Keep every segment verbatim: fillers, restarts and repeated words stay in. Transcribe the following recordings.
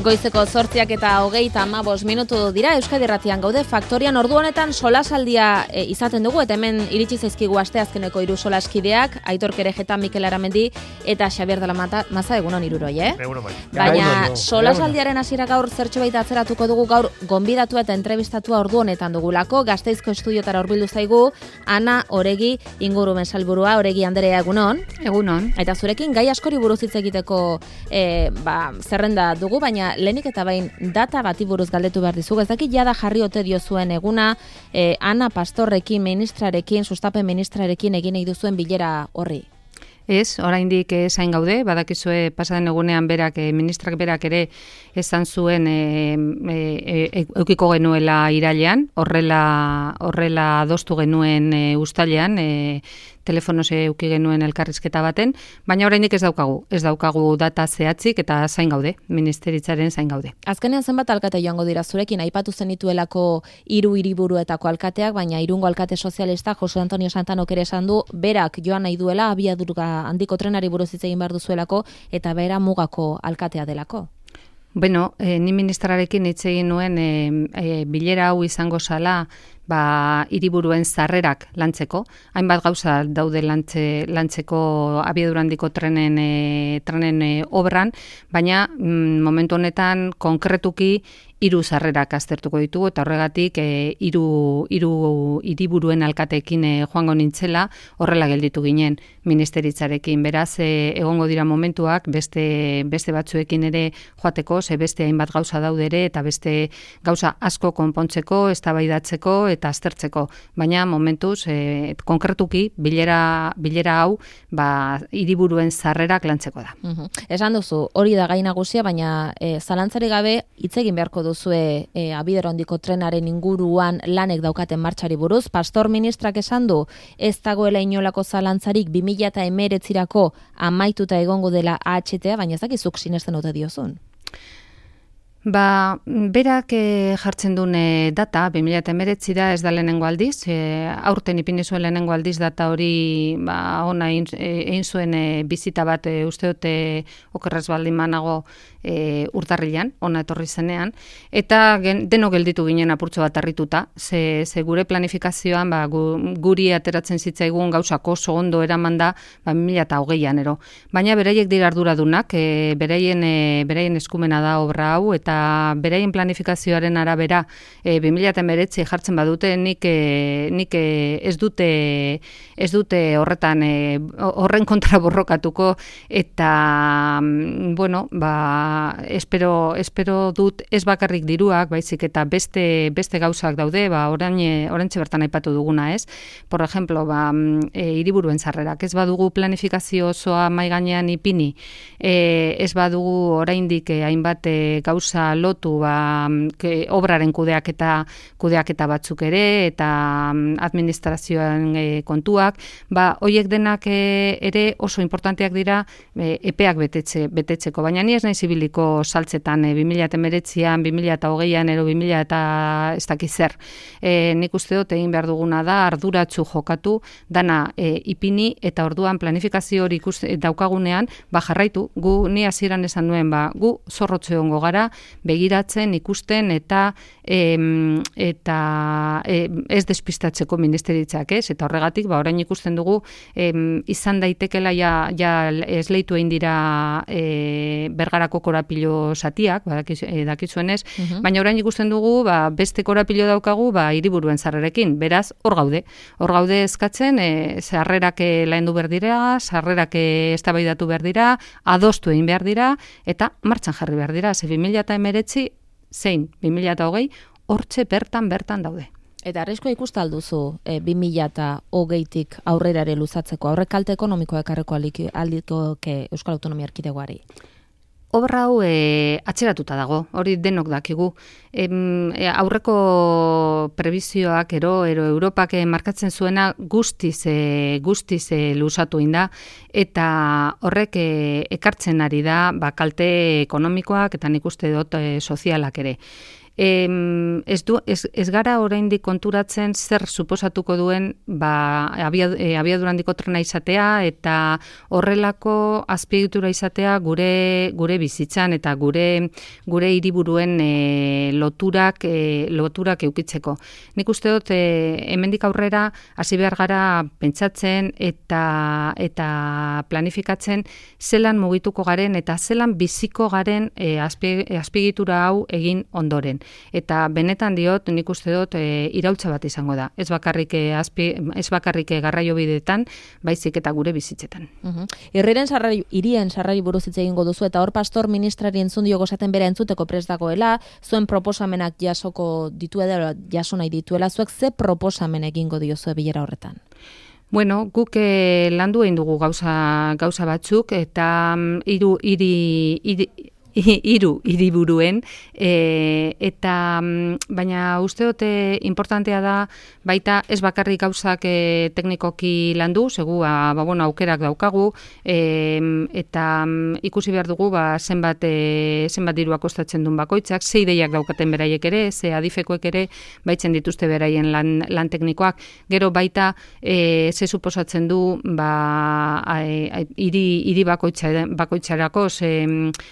Goizeko zortziak eta hogeita hamabost minutu dira, Euskadi Irratian gaude, Faktorian ordu honetan solasaldia e, izaten dugu, eta hemen iritsi zaizkigu asteazkeneko hiru solaskideak, Aitor Kerejeta, Mikel Aramendi eta Xabier de la Mata, Maza, egunon hiruroi, eh? Egunon bai. Baina solasaldiaren hasiera gaur zertxo baita atzeratuko dugu, gaur gonbidatu eta entrevistatua ordu honetan dugulako, Gasteizko estudiotara hurbildu zaigu, Ana Oregi ingurumen sailburua. Oregi Anderea, egunon. Egunon. Eta zurekin gai askori buruz hitz egiteko e, ba, zerrenda dugu, baina lehenik eta bain data bati buruz galdetu behar dizugu. Ez dakit jada jarri ote diozuen eguna, e, Ana Pastorrekin, ministrarekin, sustapen ministrarekin egin nahi duzuen bilera horri. Ez, oraindik zain gaude, badakizue pasaden egunean berak, e, ministrak berak ere esan zuen e, e, e, eukiko genuela irailean, horrela, horrela adostu genuen e, uztailean, e, telefonoz euki genuen elkarrizketa baten, baina oraindik ez daukagu, ez daukagu data zehatzik eta zain gaude, ministeritzaren zain gaude. Azkenean zenbat alkate joango dira zurekin, aipatu zenituelako hiru hiriburuetako alkateak, baina Irungo alkate sozialista Jose Antonio Santanok ere esan du, berak joan nahi duela abiadura handiko trenari buruz hitz egin behar duzuelako eta bera mugako alkatea delako. Bueno, eh, ni ministrarekin hitz egin nuen eh, eh, bilera hau izango zala ba, hiriburuen zarrerak lantzeko. Hainbat gauza daude lantze, lantzeko abiadura handiko trenen, e, trenen e, obran, baina mm, momentu honetan konkretuki hiru zarrerak aztertuko ditugu eta horregatik e, hiru hiru hiriburuen alkateekin e, joango nintzela, horrela gelditu ginen ministeritzarekin. Beraz, e, egongo dira momentuak beste beste batzuekin ere joateko, ze beste hainbat gauza daude ere eta beste gauza asko konpontzeko, eztabaidatzeko eta aztertzeko, baina momentuz e, konkretuki bilera bilera hau ba hiriburuen zarrerak lantzeko da. Uhum. Esan duzu, hori da gai nagusia, baina e, zalantzari gabe hitz egin beharko duzue e, abiadura handiko trenaren inguruan lanek daukaten martxari buruz. Pastor ministrak esan du, ez dagoela inolako zalantzarik bi mila hemeretzirako amaituta egongo dela A H T A, baina ez dakizuk sinesten ote diozun. Ba, berak e, jartzen duen e, data, bi mila hemeretzi da, ez da lehenengo aldiz, e, aurten ipini zuen lehenengo aldiz data hori ba, ona egin, egin zuen e, bizita bat e, uste dute okerrez baldin manago e, urtarrilan, ona etorri zenean, eta gen, deno gelditu ginen apurtxo bat harrituta, ze, ze gure planifikazioan ba, gu, guri ateratzen zitzaigun gauzako oso ondo eraman da ba, bi mila hogeian ero. Baina beraiek dira arduradunak, e, beraien, e, beraien eskumena da obra hau, eta beraien planifikazioaren arabera e, bi mila hemeretzi jartzen badute, nik, e, nik e, ez dute ez dute horretan e, horren kontra borrokatuko eta bueno, ba, espero, espero dut ez bakarrik diruak, baizik eta beste beste gauzak daude, ba orain oraintxe bertan aipatu duguna, ez? Por ejemplo, ba e, hiriburuen zarrerak, ez badugu planifikazio osoa mahai gainean ipini, e, ez badugu oraindik e, hainbat e, gauza lotu ba, ke, obraren kudeaketa kudeaketa batzuk ere eta administrazioan e, kontuak, ba hoiek denak e, ere oso importanteak dira e, epeak betetze, betetzeko, baina ni ez naiz ibiliko saltzetan e, bi mila hemeretzian, bi mila hogeian ero bi mila eta ez dakiz zer. E, nik uste dut egin behar duguna da arduratsu jokatu, dana e, ipini eta orduan planifikazio hori ikuste daukagunean, ba jarraitu, gu ni hasieran esan nuen, ba gu zorrotze egongo gara, begiratzen, ikusten eta em, eta em, ez despistatzeko ministeritzak, ez? Eta horregatik, ba, orain ikusten dugu em, izan daitekela ja, ja esleitu egin dira e, Bergarako korapilo zatiak, ba, dakizuenez, uh-huh. Baina orain ikusten dugu, ba, beste korapilo daukagu, ba, hiriburuen zarrerekin, beraz, hor gaude. Hor gaude eskatzen, e, zarrerak laendu behar dira, zarrerak eztabaidatu behar dira, adostu egin behar dira, eta martxan jarri behar dira, ze bi mila hemeretzi zein bi mila hogei hortxe bertan bertan daude. Eta arriskoa ikusta alduzu e, bi mila hogeitik aurrera ere luzatzeko, aurrek kalte ekonomikoa ekarreko aldiko Euskal Autonomia Erkidegoari? Obra hau e, atzeratuta dago, hori denok dakigu. Em, e, aurreko prebizioak ero, ero Europak e, markatzen zuena guztiz, e, guztiz e, luzatu inda, eta horrek e, ekartzen ari da ba, kalte ekonomikoak eta nik uste dut e, sozialak ere. Em, ez, du, ez, ez gara oraindik konturatzen zer suposatuko duen ba, abia, e, abiadurandiko trena izatea eta horrelako azpiegitura izatea gure gure bizitzan eta gure gure hiriburuen e, loturak e, loturak eukitzeko. Nik uste dut e, hemendik aurrera hasi behar gara pentsatzen eta eta planifikatzen zelan mugituko garen eta zelan biziko garen e, azpiegitura hau egin ondoren. Eta benetan diot, nik uste dut e, iraultza bat izango da. Ez bakarrik e, azpi, ez bakarrik e, garraiobideetan, baizik eta gure bizitzetan. Uh-huh. Irriren sarrari, irien sarrari buruz hitz egingo duzu eta hor pastor ministrari entzun dio gozaten bera entzuteko prest dagoela, zuen proposamenak jasoko dituela, jaso nahi dituela, zuek ze proposamen egingo diozue bilera horretan? Bueno, guk eh, landu egin dugu gauza, gauza batzuk eta um, hiru hiri hiri hiru hiriburuen e, eta baina uste dute importantea da baita ez bakarrik gauzak e, teknikoki landu, segu ba, ba, bueno, aukerak daukagu e, eta ikusi behar dugu ba, zenbat, e, zenbat dirua kostatzen duen bakoitzak, ze ideiak daukaten beraiek ere, ze adifekoek ere baitzen dituzte beraien lan, lan teknikoak, gero baita e, ze suposatzen du ba, hiri hiri bakoitza, bakoitzarako, ze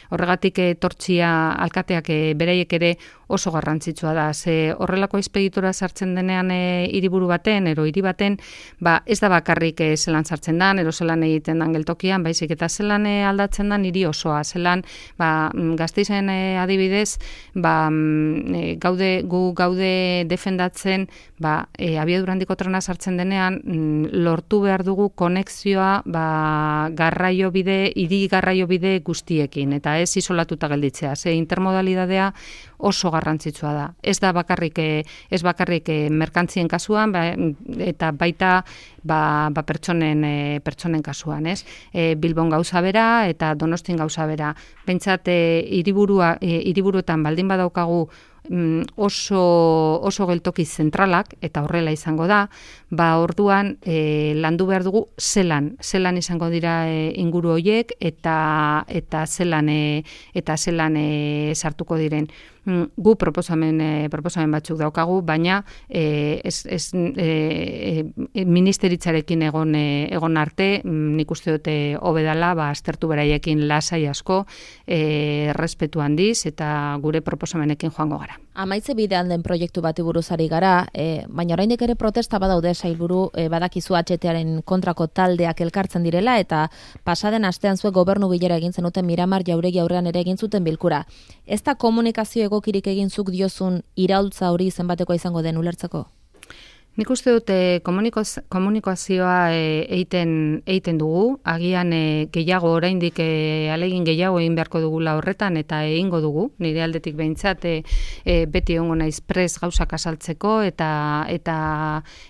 horregatik tortzia alkateak e, beraiek ere oso garrantzitsua da. Ze horrelako azpiegitura sartzen denean hiriburu e, baten, ero hiri baten, ba, ez da bakarrik e, zelan sartzen dan, ero zelan egiten dan geltokian, baizik eta zelan e, aldatzen dan hiri osoa, zelan ba, Gasteizen e, adibidez, ba, e, gaude, gu gaude defendatzen ba, e, abiadurandiko trena sartzen denean, lortu behar dugu konexioa ba, garraio bide, hiri garraio bide guztiekin, eta ez isolatuta gelditzea. Ze intermodalidadea oso garrantzitsua da. Ez da bakarrik ez bakarrik merkantzien kasuan ba, eta baita ba, ba pertsonen e, pertsonen kasuan, ez? E, Bilbon gauza bera eta Donostin gauza bera. Behintzat hiriburua e, hiriburuetan baldin badaukagu oso oso geltoki zentralak eta horrela izango da, ba orduan e, landu behar dugu zelan, zelan izango dira e, inguru horiek eta eta zelan e, eta zelan e, sartuko diren. Gu proposamen e, proposamen batzuk daukagu, baina e, ez, ez e, e, ministeritzarekin egon e, egon arte, nik uste dute hobe dela, ba aztertu beraiekin lasai asko, e, errespetu handiz eta gure proposamenekin joango gara. Amaitze bidean den proiektu bati buruz ari gara, e, baina oraindik ere protesta badaude sailburu, e, badakizu H T-aren kontrako taldeak elkartzen direla eta pasaden astean zuek gobernu bilera egin zenuten Miramar Jauregi aurrean ere egin zuten bilkura. Ez da komunikazio egokirik egin zuk diozun iraultza hori zenbatekoa izango den ulertzeko? Nik uste dute komunikazioa egiten egiten dugu, agian e, gehiago oraindik e, alegin gehiago egin beharko dugula horretan eta egingo dugu, nire aldetik behintzat e, e, beti egongo naiz prest gauzak azaltzeko eta eta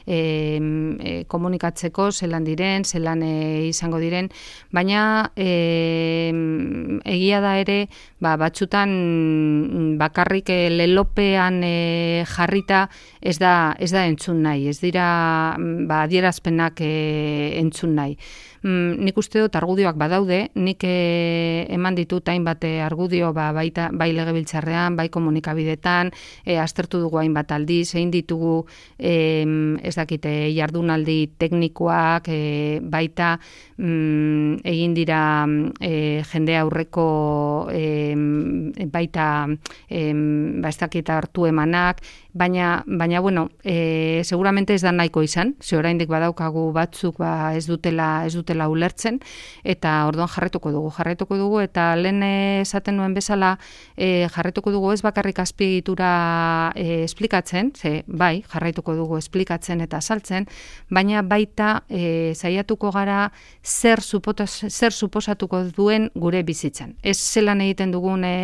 e, e, komunikatzeko zelan diren, zelan e, izango diren, baina e, egia da ere ba, batzutan bakarrik e, lelopean e, jarrita ez da, ez da entzun nahi. Ez dira ba, adierazpenak e, entzun nahi. Mm, nik uste dut argudioak badaude, nik e, eman ditut hainbat argudio ba, baita, bai legebiltzarrean, bai komunikabidetan, e, aztertu dugu hainbat aldiz, egin ditugu e, ez dakite jardunaldi teknikoak, e, baita mm, egin dira e, jende aurreko e, baita e, ba, ez dakita hartu emanak, baina, baina bueno, e, seguramente ez da nahiko izan, ze oraindik badaukagu batzuk ba, ez dutela ez dutela ulertzen, eta orduan jarretuko dugu, jarretuko dugu, eta lehen esaten nuen bezala e, jarretuko dugu ez bakarrik azpiegitura e, esplikatzen, ze bai, jarraituko dugu esplikatzen eta azaltzen, baina baita e, saiatuko gara zer, supotas, zer suposatuko duen gure bizitzan. Ez zelan egiten dugun e,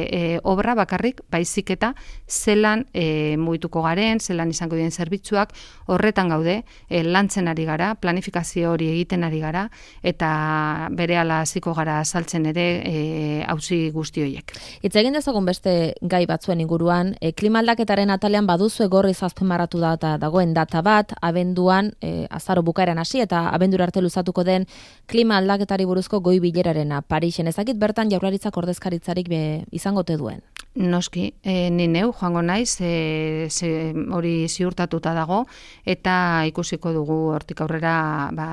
e, obra bakarrik, baizik eta zelan e, mugituko garen, zelan izango diren zerbitzuak, horretan gaude, e, lantzen ari gara, planifikazio hori egiten ari gara, eta berehala hasiko gara azaltzen ere e, auzi guzti horiek. Hitz egin dezagun beste gai batzuen inguruan, e, klima aldaketaren atalean baduzu gorriz azpimarratu da eta dagoen data bat, abenduan, e, azaro bukaeran hasi eta abendura arte luzatuko den klima aldaketari buruzko goi bilerarena Parisen. Ezakit bertan Jaurlaritzak ordezkaritzarik be, izango te duen. Noski, e, ni neu joango naiz, e, ze, hori ziurtatuta dago, eta ikusiko dugu hortik aurrera ba,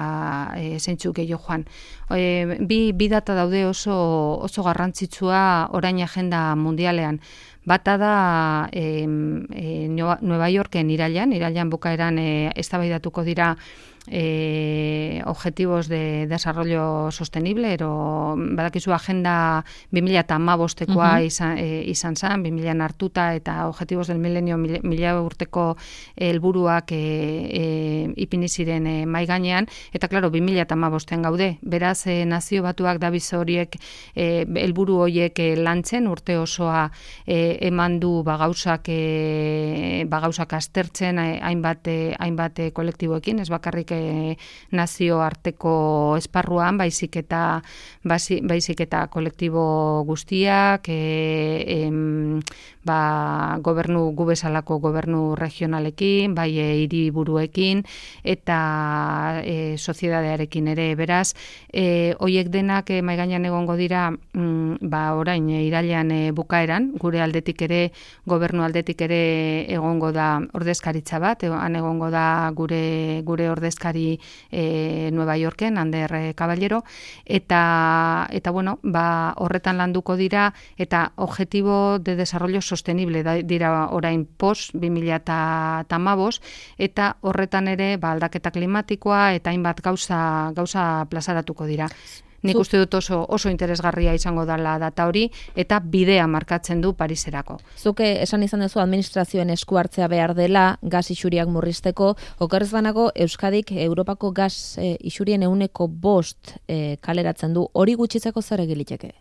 e, zeintzuk gehiago joan. E, bi, bi data daude oso, oso garrantzitsua orain agenda mundialean. Bata da e, e, Nueva Yorken irailan, irailan bukaeran e, eztabaidatuko dira Eh, objetivos de desarrollo sostenible, ero badakizu agenda bi mila hamabostekoa uh-huh. izan, e, izan zan, bi mila hartuta eta objetivos del milenio mila urteko helburuak e, e, ipini ziren e, mai gainean, eta klaro, bi mila hamabostean gaude, beraz e, nazio batuak dabiz horiek e, helburu horiek e, lantzen, urte osoa e, eman du bagauzak e, bagauzak aztertzen hainbat, e, hainbat e, kolektiboekin, ez bakarrik nazio arteko esparruan, baizik eta baizik eta kolektibo guztiak, e, em, ba, gobernu gu bezalako gobernu regionalekin, bai e, hiriburuekin eta e, soziedadearekin ere, beraz, e, hoiek denak e, maigainan egongo dira, mm, ba, orain e, irailean e, bukaeran, gure aldetik ere, gobernu aldetik ere egongo da ordezkaritza bat, han egongo da gure gure ordezkaritza E, Nueva Yorken, Ander Caballero, eta, eta bueno, ba, horretan landuko dira, eta objetibo de desarrollo sostenible da, dira orain post bi mila hamabost, eta horretan ere ba, aldaketa klimatikoa eta hainbat gauza, gauza plazaratuko dira. Nik uste dut oso, oso interesgarria izango dela data hori, eta bidea markatzen du Pariserako. Zuke esan izan duzu administrazioen esku hartzea behar dela gas isuriak murrizteko, okerrez banago Euskadik Europako gas e, isurien ehuneko bost e, kaleratzen du, hori gutxitzeko zer egiliteke?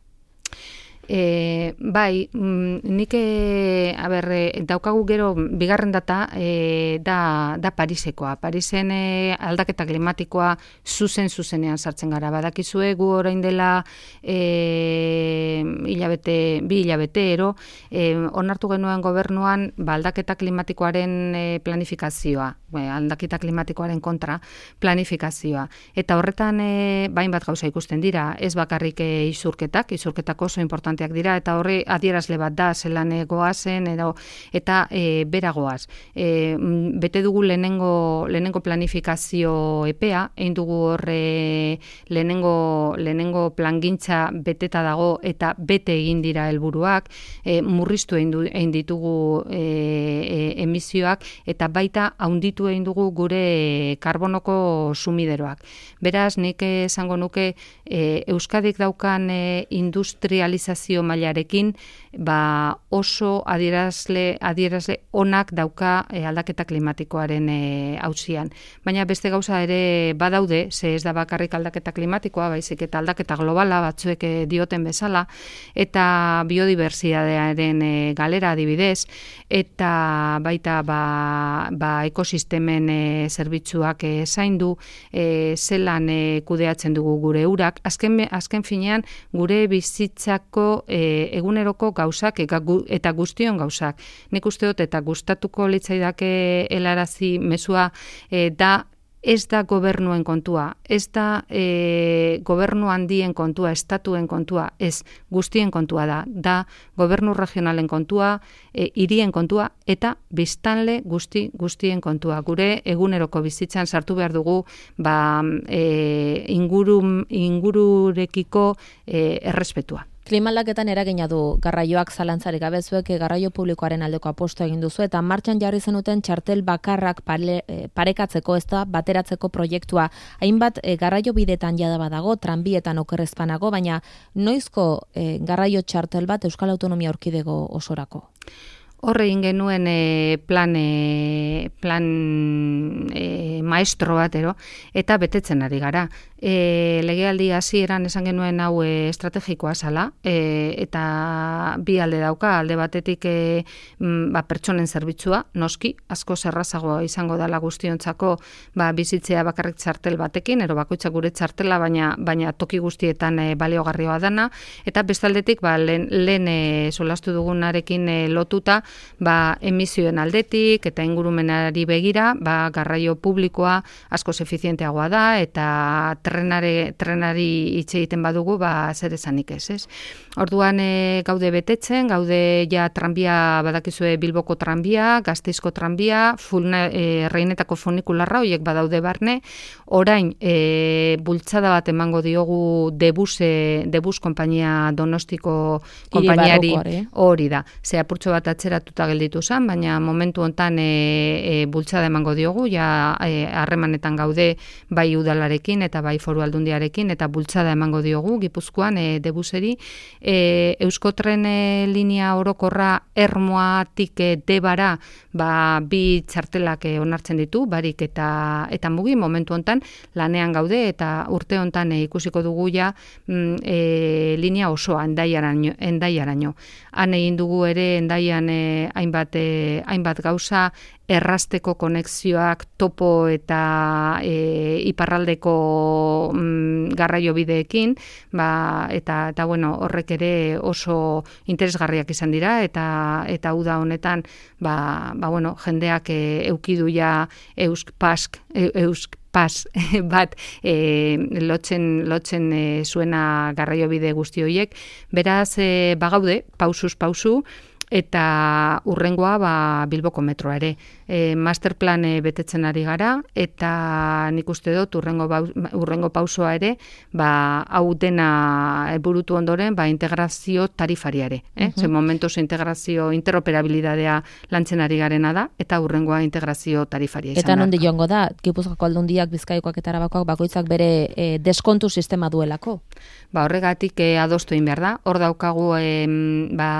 E, bai, nik e, a ber, e, daukagu gero bigarren data e, da, da Parisekoa. Parisen e, aldaketa klimatikoa zuzen zuzenean sartzen gara. Badakizue gu orain dela e, hilabete, bi hilabete ero, e, onartu genuen gobernuan ba, aldaketa klimatikoaren e, planifikazioa, e, aldaketa klimatikoaren kontra planifikazioa. Eta horretan e, bain bat gauza ikusten dira, ez bakarrik e, izurketak, izurketak oso importante dira, eta horri adierazle bat da, zelan goazen, edo, eta e, beragoaz. E, bete dugu lehenengo, lehenengo planifikazio epea, egin dugu horre lehenengo, lehenengo plangintza beteta dago, eta bete egin dira helburuak, e, murriztu egin ditugu e, e, emisioak, eta baita haunditu egin dugu gure karbonoko sumideroak. Beraz, nik esango nuke e, Euskadik daukan e, industrializazio mailarekin ba oso adierazle adierazle onak dauka e, aldaketa klimatikoaren e, auzian. Baina beste gauza ere badaude, ze ez da bakarrik aldaketa klimatikoa, baizik eta aldaketa globala batzuek e, dioten bezala, eta biodibertsitatearen e, galera adibidez, eta baita ba, ba ekosistemen e, zerbitzuak e, zaindu, e, zelan e, kudeatzen dugu gure urak, azken, azken finean gure bizitzako E, eguneroko gauzak eta guztion gauzak. Nik uste dut eta gustatuko litzaidake helarazi mezua e, da ez da gobernuen kontua, ez da e, gobernu handien kontua, estatuen kontua, ez guztien kontua da, da gobernu regionalen kontua, e, hirien kontua eta biztanle guzti guztien kontua. Gure eguneroko bizitzan sartu behar dugu ba, e, inguru, ingururekiko e, errespetua. Klimaldaketan eragina du garraioak zalantzarik gabe, zuek garraio publikoaren aldeko aposto egin duzu eta martxan jarri zenuten txartel bakarrak pare, parekatzeko, ez da bateratzeko proiektua. Hainbat e, garraio bidetan jada badago, tranbietan okerrezpanago, baina noizko e, garraio txartel bat Euskal Autonomia Erkidego osorako? Horre egin genuen e, plan, e, plan e, maestro batero, eta betetzen ari gara. E, legealdi hasieran esan genuen hau e, estrategikoa zala, e, eta bi alde dauka, alde batetik e, ba, pertsonen zerbitzua, noski, asko zerrazagoa izango dela guztiontzako ba, bizitzea bakarrik txartel batekin, ero bakoitzak gure txartela, baina, baina toki guztietan e, baliogarrioa dana, eta bestaldetik ba, lehen, lehen e, solastu dugunarekin e, lotuta, ba, emisioen aldetik eta ingurumenari begira, ba, garraio publikoa askoz efizienteagoa da, eta trenare, trenari hitz egiten badugu, ba, zer esanik ez, ez? Orduan e, gaude betetzen, gaude ja tranbia, badakizue Bilboko tranbia, Gasteizko tranbia, fulna, e, Reinetako funikularra, horiek badaude barne, orain e, bultzada bat emango diogu Debuse, Debus konpainia Donostiko konpainiari hori da. Ze apurtxo bat atzeratuta gelditu zen, baina momentu hontan e, e, bultzada emango diogu, ja harremanetan e, gaude bai udalarekin eta bai foru aldundiarekin, eta bultzada emango diogu Gipuzkoan e, Debuseri. E, Euskotren e, linea orokorra Ermoatik e, Debara ba, bi txartelak e, onartzen ditu, barik eta eta mugi momentu hontan lanean gaude, eta urte hontan e, ikusiko dugu ja mm, e, linea osoa Endaiaraino, Endaiaraino. Han egin dugu ere Endaian e, hainbat, e, hainbat gauza, errasteko konexioak topo eta e, iparraldeko mm, garraio bideekin, ba, eta, eta bueno, horrek ere oso interesgarriak izan dira, eta eta uda honetan ba, ba bueno, jendeak e, eukidu ja eusk pask, e, eusk pas bat e, lotzen, lotzen e, zuena garraiobide guzti horiek. Beraz, e, bagaude, pausuz pausu, eta urrengoa ba, Bilboko metroa ere. E, masterplan e, betetzen ari gara, eta nik uste dut urrengo, bau, urrengo pausoa ere, ba, hau dena burutu ondoren, ba, integrazio tarifariare. Eh? Uh-huh. Ze momentuz integrazio, interoperabilidadea lantzen ari garena da, eta urrengoa integrazio tarifaria izan. Eta nondi joango da, Gipuzkoako Aldundiak, Bizkaikoak eta Arabakoak bakoitzak bere e, deskontu sistema duelako? Ba, horregatik e, adostu egin behar da. Hor daukagu e, ba,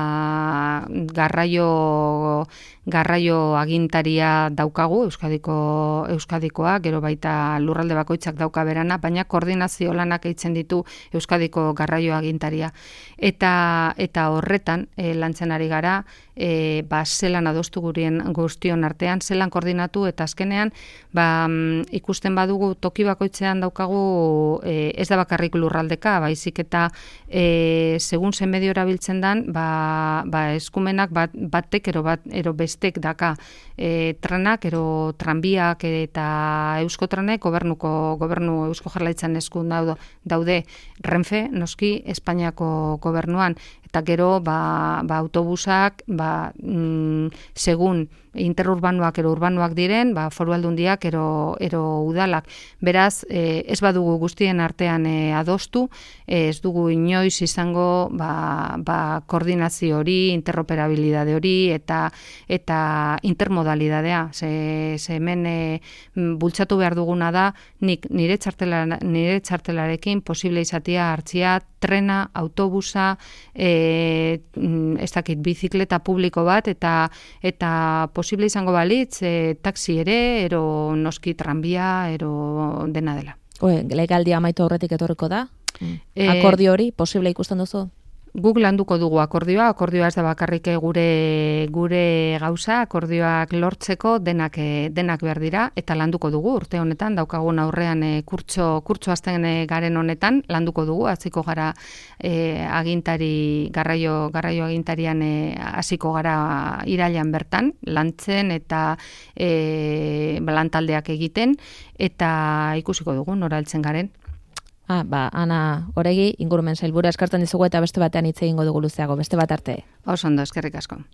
garraio garraio agintaria daukagu, Euskadiko Euskadikoa, gero baita lurralde bakoitzak dauka berana, baina koordinazio lanak eitzen ditu Euskadiko garraio agintaria. Eta eta horretan e, lantzen ari gara, e, ba, zelan adostu gurien guztion artean, zelan koordinatu, eta azkenean ba, ikusten badugu toki bakoitzean daukagu e, ez da bakarrik lurraldeka, baizik eta e, segun zen medio erabiltzen dan, ba, ba, eskumenak bat, batek ero, bat, ero bestek daka e, trenak, ero tranbiak eta Euskotrenek gobernuko, gobernu Eusko Jaurlaritzan eskun daude, daude Renfe, noski, Espainiako gobernuan, eta gero ba, ba, autobusak ba, mm, segun interurbanoak ero urbanoak diren, ba, foru aldundiak ero, ero udalak. Beraz, e, ez badugu guztien artean e, adostu, e, ez dugu inoiz izango ba, ba, koordinazio hori, interoperabilidade hori, eta eta intermodalidadea. Ze, ze hemen e, bultzatu behar duguna da, nik nire, txartela, nire txartelarekin posible izatea hartzia trena, autobusa, e, ez dakit, bizikleta publiko bat, eta eta posible izango balitz, e, taxi ere, ero noski tranbia, ero dena dela. Oe, legaldia amaitu aurretik etorriko da? E, Akordio hori, posible ikusten duzu? Guk landuko dugu akordioa, akordioa ez da bakarrik gure gure gauza, akordioak lortzeko denak denak behar dira, eta landuko dugu urte honetan, daukagun aurrean e, kurtso, kurtso azten e, garen honetan, landuko dugu, hasiko gara e, agintari, garraio, garraio agintarian e, hasiko gara irailean bertan, lantzen eta e, lantaldeak egiten, eta ikusiko dugu nora heltzen garen. Ah, ba, Ana Oregi, ingurumen sailburu eskartzen dizugu, eta beste batean hitz egingo dugu luzeago, beste bat arte. Oso ondo, eskerrik asko.